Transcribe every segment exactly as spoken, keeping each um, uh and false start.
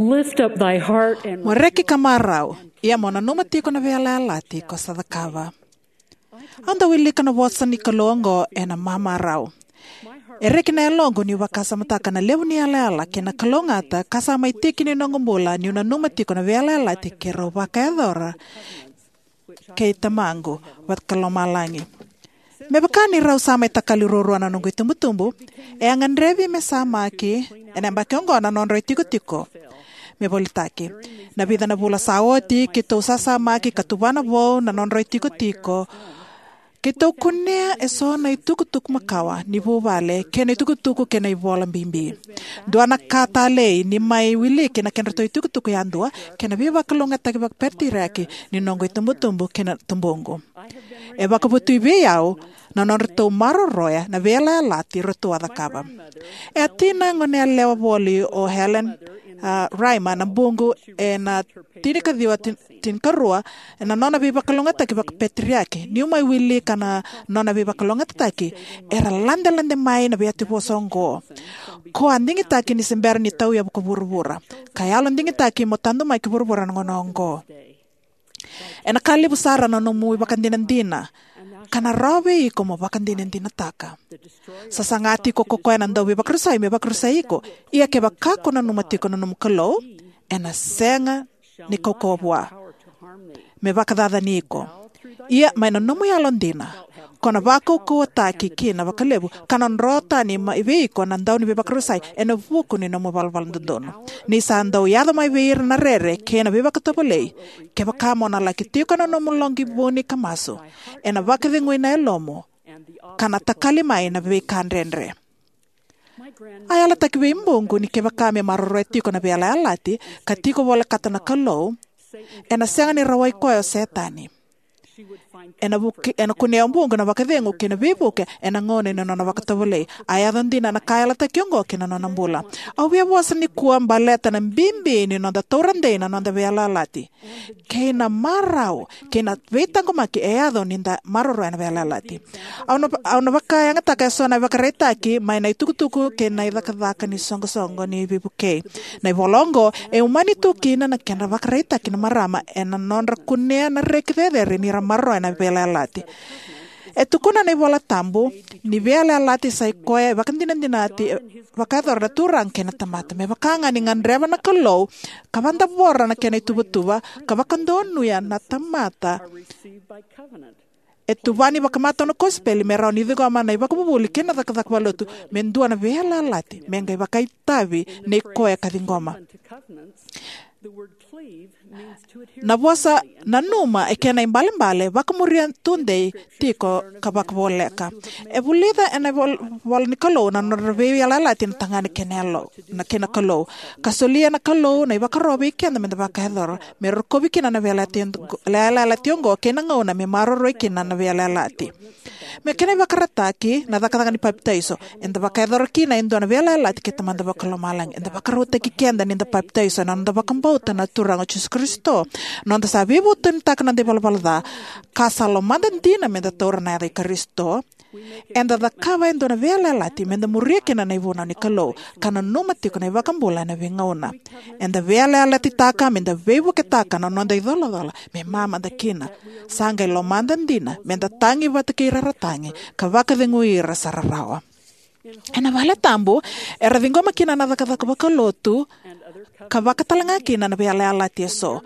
Lift up thy heart and Mo reki ka marau, ia mo nanuma tiko na veiyalayalati ko sa cakava. Au dau wilika na vosa ni Kalou oqo ena mamarau. E reki na yaloqu niu vakasamataka na levu ni yalayala kei na kalougata ka sa mai tiki ni noqu bula niu nanuma tiko na veiyalayalati keirau vakayacora kei Tamaqu Vakalomalagi. Me vaka ni rau sa mai takali ruarua na noqu itubutubu, e a gadrevi me samaki ena yabaki oqo na nodrau itikotiko. Me volitaki, na vica na vula sa oti keitou sasamaki ka tuvana vou na nodrau itikotiko. Keitou kunea eso na itukutuku makawa ni vuvale kei na itukutuku kei na ivola bibi. Dua na ka talei ni mai wiliki na kedratou itukutuku yadua kei na veivakalougatataki vakapeteriaki ni noqu itubutubu kei na tubuqu. E vakavotui vei au na nodratou maroroya na veiyalayalati ratou a cakava. E a tina goneyalewa voli o Helen, a, Rymer na buqu ena tinikaciwa tin-, tinikarua, ena nona veivakalougatataki vakapeteriaki. Niu mai wilika na nona veivakalougatataki, era ladelade mai na veiyativosa oqo: Ko a digitaki ni se bera ni tauyavu ko vuravura, ka yalo digitaki mo tadu mai ki vuravura na gauna oqo. Ena ka levu sara na nomu ivakadinadina, ka na rawa vei iko mo vakadinadinataka. Sa saga tiko ko koya na dauveivakarusai me vakarusai iko. Ia kevaka ko nanuma tiko na nomu Kalou, ena sega ni kaukauwa vua me vakacacani iko. Ia mai na nomu yalodina, ko na vakaukauwataki kina vakalevu, ka na dro tani mai vei iko na dau ni veivakarusai ena vuku ni nomu valavala dodonu. Ni sa dau yaco mai vei ira na rere kei na veivakatovolei, kevaka mo na laki tiko ena nomu loqi vuni ka masu, ena vakacegui na yalomu, ka na takali mai na veika dredre. A yalataki vei buqu ni kevaka me maroroya tiko na veiyalayalati ka tiko volekata na Kalou, ena sega ni rawai koya o Setani. Ena vuke-, ena kunea o buqu na vakacegu kei na veivuke ena gauna ni nona vakatovolei. A yaco dina na ka a yalataki oqo ki na nona bula. Au via vosa nikua baleta na bibi ni noda taura dei na noda veiyalayalati kei na marau kei na veitaqomaki e yaco ni da maroroya na veiyalayalati. Au na, au na vakayagataka eso na ivakaraitaki mai na itukutuku kei na icakacaka ni soqosoqo ni veivukei. Na ivola oqo e umani tu kina na kedra vakaraitaki na marama ena nodra kunea na reki cecere ni ra maroroya na veiyalayalati. E tukuna na iVola Tabu ni veiyalayalati sa i koya e vakadinadinati, e vakayacora na Turaga kei na tamata. Me vaka ga ni gadreva na Kalou ka vakadavora na kena ituvatuva, ka vakadonuya na tamata e tuvani vakamatau na kosipeli me rawa ni ciqoma na ivakavuvuli kei na cakacaka vakalotu me dua na veiyalayalati, me qai vakaitavi nei koya ka ciqoma. Na vosa nanuma e kena ibalebale vakamuria tudei tiko ka vakavoleka. E vulica ena vol-, ivola ni Kalou na nodra veiyalayalati na tagane kei na yalo, na kei na Kalou. Ka solia na Kalou na ivakaro vei keda meda vakayacora, me rokovi kina na veiyalayalati, veiyalayalati oqo kei na gauna me maroroi kina na veiyalayalati. Me kena ivakaraitaki na cakacaka ni papitaiso, eda vakayacora kina e dua na veiyalayalati kei Tamada Vakalomalagi. Eda vakarautaki keda nida papitaiso ena noda vakabauta na Turaga o Jisu Karisito, noda sa veivutunitaka na noda ivalavala ca, ka sa lomada dina meda taura na yaca i Karisito. Eda cakava e dua na veiyalayalati meda muria kina na ivunau ni Kalou, ka nanuma tiko na iVakabula ena veigauna. Eda veiyalayalatitaka meda veivuketaka na noda icolacola me mamada kina. Sa qai lomada dina meda tagi vata kei ira ra tagi, ka vakacegui ira sa rarawa. Ena vale tabu era ciqoma kina na cakacaka vakalotu, ka vaka talega kina na veiyalayalati eso.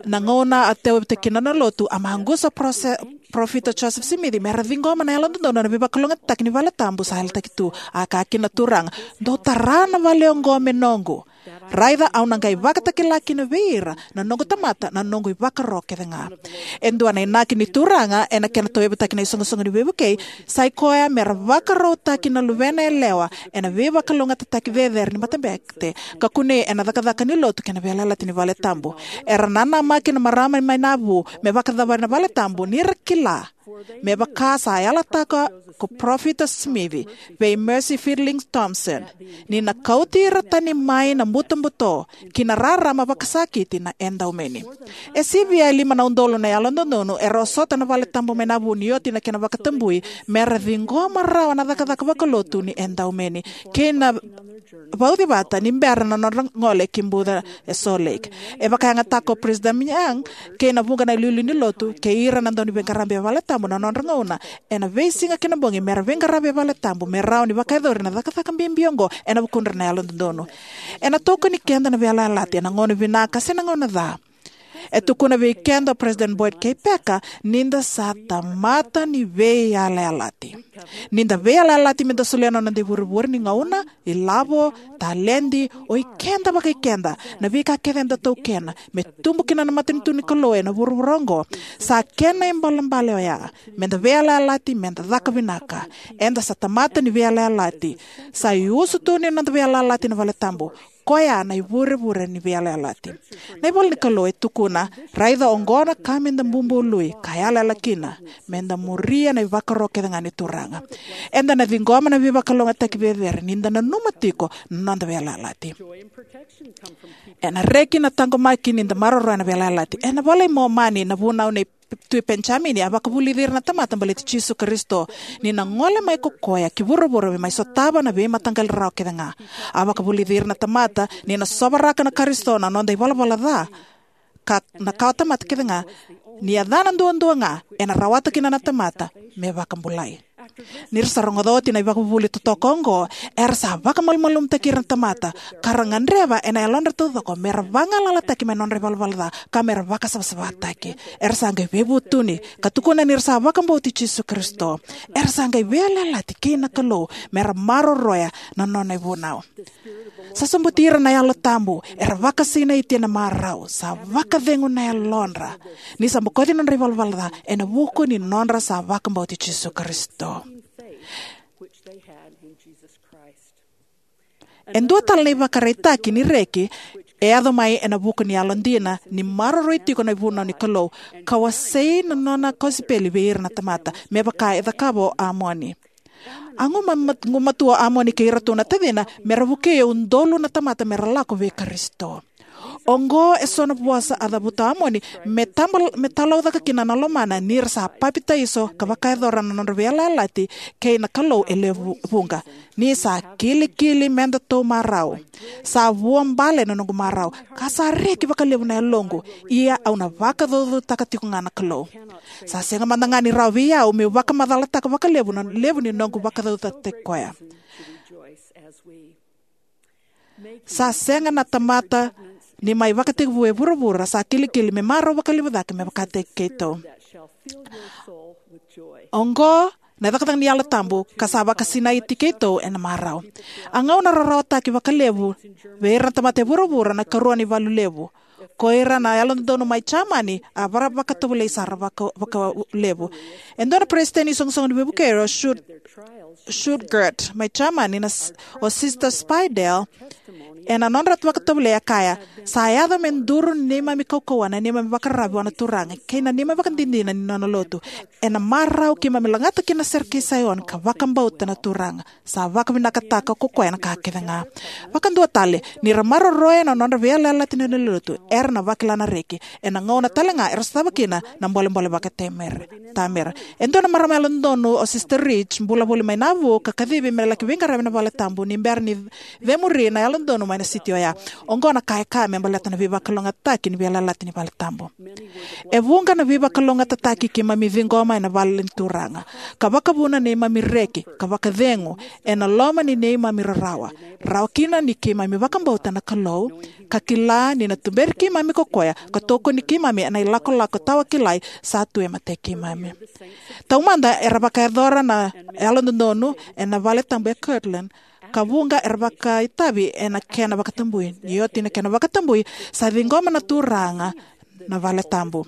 Na gauna a tauyavutaki kina na lotu, a maqusa parofita Joseph Smith me ra ciqoma na yalododonu ena veivakalougatataki ni vale tabu sa yalataki tu. A kaya kina na Turaga, "Dou tara na vale oqo me noqu. Raica au na qai vakatakila kina vei ira na noqu tamata na noqu ivakaro kece ga." E dua na inaki ni Turaga ena kena tauyavutaki na isoqosoqo ni veivukei sa i koya me ra vakarautaki na luvena yalewa ena veivakalougatataki cecere ni matabete, ka kunei ena cakacaka ni lotu kei na veiyalayalati ni vale tabu. Era nanamaki na marama mai Navu me vakacavari na vale tabu ni ra kila Me vaka sa yalataka ko Parofita Simici vei Mercy Fielding Thompson, ni na kauti ira tani mai na butobuto ki na rarama vakasakiti na edaumeni. E sivia e lima na udolu na yalododonu era osota na valetabu mai Nauvoo ni oti na kena vakatabui, me ra ciqoma rawa na cakacaka vakalotu ni edaumeni kei na vauci vata ni bera na nodra gole ki buca e Salt Lake. E vakayagataka ko Peresitedi Young kei na vuqa na iliuliu ni lotu kei ira na dauniveiqaravi e valetabu na nodra gauna ena veisiga kei na bogi me ra veiqaravi e valetabu me rawa ni vakayacori na cakacaka bibi oqo ena vukudra na yalododonu. Ena tokoni keda na veiyalayalati ena gauna vinaka se na gauna ca. E tukuna vei keda o Peresitedi Boyd K. Packer ni da sa tamata ni veiyalayalati. Ni da veiyalayalati me da solia na noda ivurevure ni gauna, ilavo, taledi, o ikeda vakaikeda, na veika kece eda taukena me tubu kina na matanitu ni Kalou ena vuravura oqo, sa kena ibalebale oya me da veiyalayalati, me da caka vinaka. Eda sa tamata ni veiyalayalati. Sa iusutu ni noda veiyalayalati na valetabu. Koya na ivurevure ni veiyalayalati. Na ivola ni Kalou e tukuna, raica oqo na ka me da bubului ka yalayala kina, me da muria na ivakaro kece ga ni Turaga. Eda na ciqoma na veivakalougatataki cecere ni da nanuma tiko na noda veiyalayalati. Ena reki na taqomaki ni da maroroya na veiyalayalati. Ena iVola i Momani, na vunau nei Tui Penijamini a vakavulici ira na tamata baleti Jisu Karisito, ni na gole mai ko koya ki vuravura me mai sotava na veimataqali rarawa kece ga. A vakavulici ira na tamata ni na sovaraka na Karisito na noda ivalavala ca, ka na kawatamata kece ga, ni yacana duadua ga ena rawata kina na tamata me vakabulai. Ni ra sa rogoca oti na ivakavuvuli totoka oqo, era sa vakamalumalumutaki ira na tamata, ka ra gadreva ena yalodra taucoko me ra vagalalataki mai na nodra ivalavala ca, ka me ra vakasavasavataki. Era sa qai veivutuni ka tukuna ni ra sa vakabauti Jisu Karisito. Era sa qai veiyalayalati kei na Kalou me ra maroroya na nona ivunau. Sa sobuti ira na Yalo Tabu, era vakasinaiti ena marau, sa vakacegu na yalodra ni sa bokoci nodra ivalavala ca ena vuku ni nodra sa vakabauti Jisu Karisito. E dua tale na ivakaraitaki ni reki e yaco mai ena vuku ni yalodina ni maroroi tiko na ivunau ni Kalou, ka wasei na nona kosipeli vei ira na tamata, me vaka e cakava o Amoni. A guma-, gumatua o Amoni kei iratou na tacina me ra vukei e udolu na tamata me ra lako vei Karisito. Oqo e so na vosa a cavuta o Amoni me tabal-, me talaucaka kina na lomana ni ra sa papitaiso ka vakayacora na nodra veiyalayalati kei na Kalou e lewe vuqa. Ni sa kilikili me datou marau. Sa vuabale na noqu marau, ka sa reki vakalevu na yaloqu, ia au na vakacaucautaka tiko ga na Kalou. Sa sega mada ga ni rawa vei au meu vakamacalataka vakalevu na levu ni noqu vakacaucautaki koya. Sa sega na tamata ni mai vakatekivu e vuravura sa kilikili me marau vakalevu cake me vakataki keitou. Oqo na cakacaka ni Yalo Tabu ka sa vakasinaiti keitou ena marau. A gauna rarawataki vakalevu vei ira na tamata e vuravura na ikarua ni valu levu. Ko ira na yalododonu mai Jamani a vara vakatovolei sara vaka-, vakalevu. E dua na peresitedi ni soqosoqo ni veivuke o Stutt-, Stuttgart mai Jamani na s-, o Sister Speidel, ena nodra vakatovolei a kaya, sa yaco me duru ni neimami kaukauwa na neimami vakararavi vua na Turaga kei na neimami vakadinadina ni nona lotu. Ena marau keimami lagata kina na sere kei Saioni ka vakabauta na Turaga. Sa vakavinakataka ko koya na ka kece ga. Vakadua tale, ni ra maroroya na nodra veiyalayalati na lewe ni lotu, era na vakila na reki. Ena gauna tale ga era sotava kina na bolebole vakatamera, tamera. E dua na marama yalododonu o Sister Rich, bula voli mai Nauvoo, ka kacivi me laki veiqaravi ena vale tabu ni bera ni cemuri na yalododonu mai na siti oya. Oqo na ka e kaya me baleta na veivakalougatataki ni veiyalayalati ni vale tabu. E vuqa na veivakalougatataki keimami ciqoma ena vale ni Turaga, ka vakavuna neimami reki ka vakacegu ena loma ni neimami rarawa, rawa kina ni keimami vakabauta na Kalou ka kila ni na tuberi keimami ko koya ka tokoni keimami ena ilakolako tawakilai sa tu e matai keimami. Taumada era vakayacora na yalododonu ena vale tabu e Kirtland, ka vuqa era vakaitavi ena kena vakatabui. Ni oti na kena vakatabui, sa ciqoma na Turaga na vale tabu.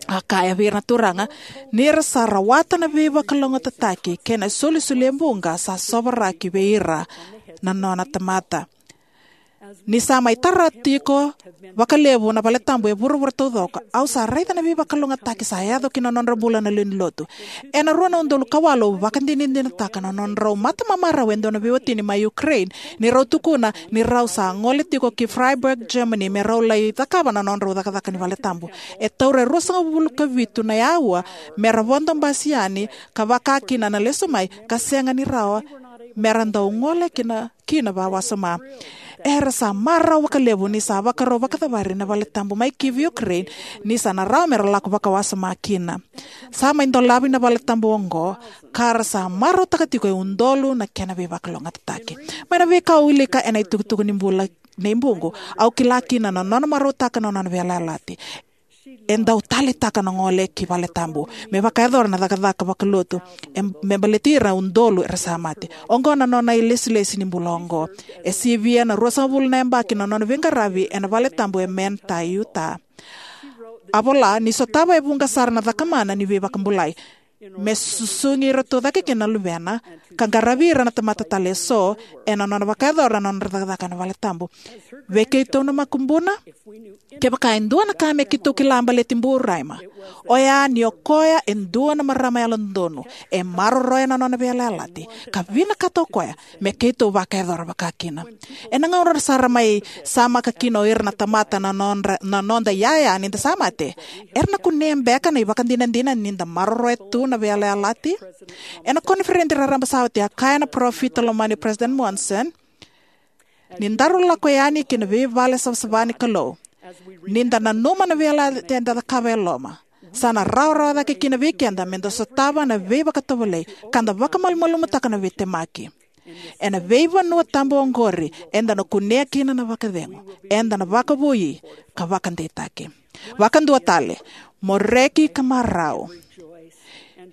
A kaya vei ira na Turaga ni ra sa rawata na veivakalougatataki kei na isolisoli e vuqa sa sovaraki vei ira na nona tamata. Ni sa mai tara tiko vakalevu na valetabu e vuravura taucoko, au sa raica na veivakalougatataki sa yaco ki na nodra bula na lewe ni lotu. Ena rua na udolu ka walu au vakadinadinataka na nodrau matamamarau e dua na veiwatini mai Ukraine, ni rau tukuna ni rau sa gole tiko ki Freiburg, Germany, me rau lai cakava na nodrau cakacaka ni valetabu. E taura e ruasagavulu ka vitu na aua me ra vodo basi yani ka vaka kina na lesu mai, ka sega ni rawa me ra dau gole kina, kina vakawasoma. Era sa marau vakalevu ni sa vakarau vakacavari na valetabu mai Kyiv, Ukraine, ni sa na rawa me ra lako vakawasoma kina. Sa mai dolavi na valetabu oqo, ka ra sa marautaka tiko e udolu na kena veivakalougatataki. Mai na veika au wilika ena itukutuku ni bula nei Buqu, au kila kina na nona marautaka na nona veiyalayalati. E dau taleitaka na gole ki valetabu me vakayacora na cakacaka vakalotu, e, me baleti ira udolu era sa mate. Oqo na nona ilesilesi ni bula oqo. E sivia na ruasagavulu na yabaki na nona veiqaravi ena valetabu e Manti, Utah. A vola ni sotava e vuqa sara na cakamana ni veivakabulai, me susugi iratou cake kina na luvena, ka qaravi ira na tamata tale eso, ena nona vakayacora na nodra cakacaka ena valetabu. Vei keitou na makubuna, kevaka e dua na ka me keitou kila baleti Bu Raymer, oya ni o koya e dua na marama yalododonu, e maroroya na nona veiyalayalati, ka vinakata o koya me keitou vakayacora vaka kina. Ena gauna sara mai samaka kina o ira na tamata na nodra, na noda iyaya ni da sa mate, era na kunea beka na ivakadinadina ni da maroroya tu na veiyalayalati? Ena koniferedi raraba sa oti, a kaya na parofita lomani President Monson, ni daru lako yani ki na veivale savasava ni Kalou, ni da nanuma na veiyalayalati eda cakava e loma, sa na rawarawa cake kina vei keda me da sotava na veivakatovolei ka da vakamalumalumutaka na veitemaki. Ena veivanua tabu oqori eda na kunea kina na vakacegu, eda na vakavoui ka vakadeitaki. Vakadua tale, mo reki ka marau.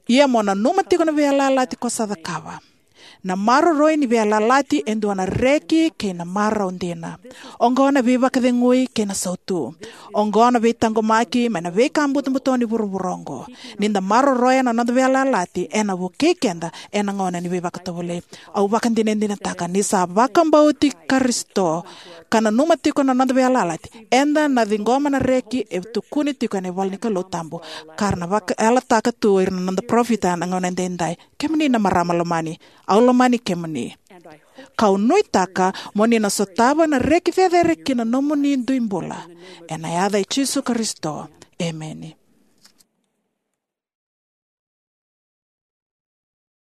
Ia mo nanuma tiko na veiyalayalati ko sa cakava. Na maroroi ni veiyalayalati e dua na reki kei na marau dina. Oqo na veivakacegui kei na sautu. Oqo na veitaqomaki mai na veika butobuto ni vuravura oqo. Ni da maroroya na noda veiyalayalati, ena vukei keda ena gauna ni veivakatovolei. Au vakadinadinataka ni sa vakabauti Karisito ka nanuma tiko na noda veiyalayalati, eda na ciqoma na reki e tukuni tiko ena ivola ni Kalou tabu, ka ra na vakayalataka tu o ira na noda parofita ena gauna edaidai. Kemuni na marama lomani, au lomani kemuni. Kau nuitaka mo ni na sotava na reki cecere ki na nomuni dui bula. Ena yaca i Jisu Karisito. Emeni.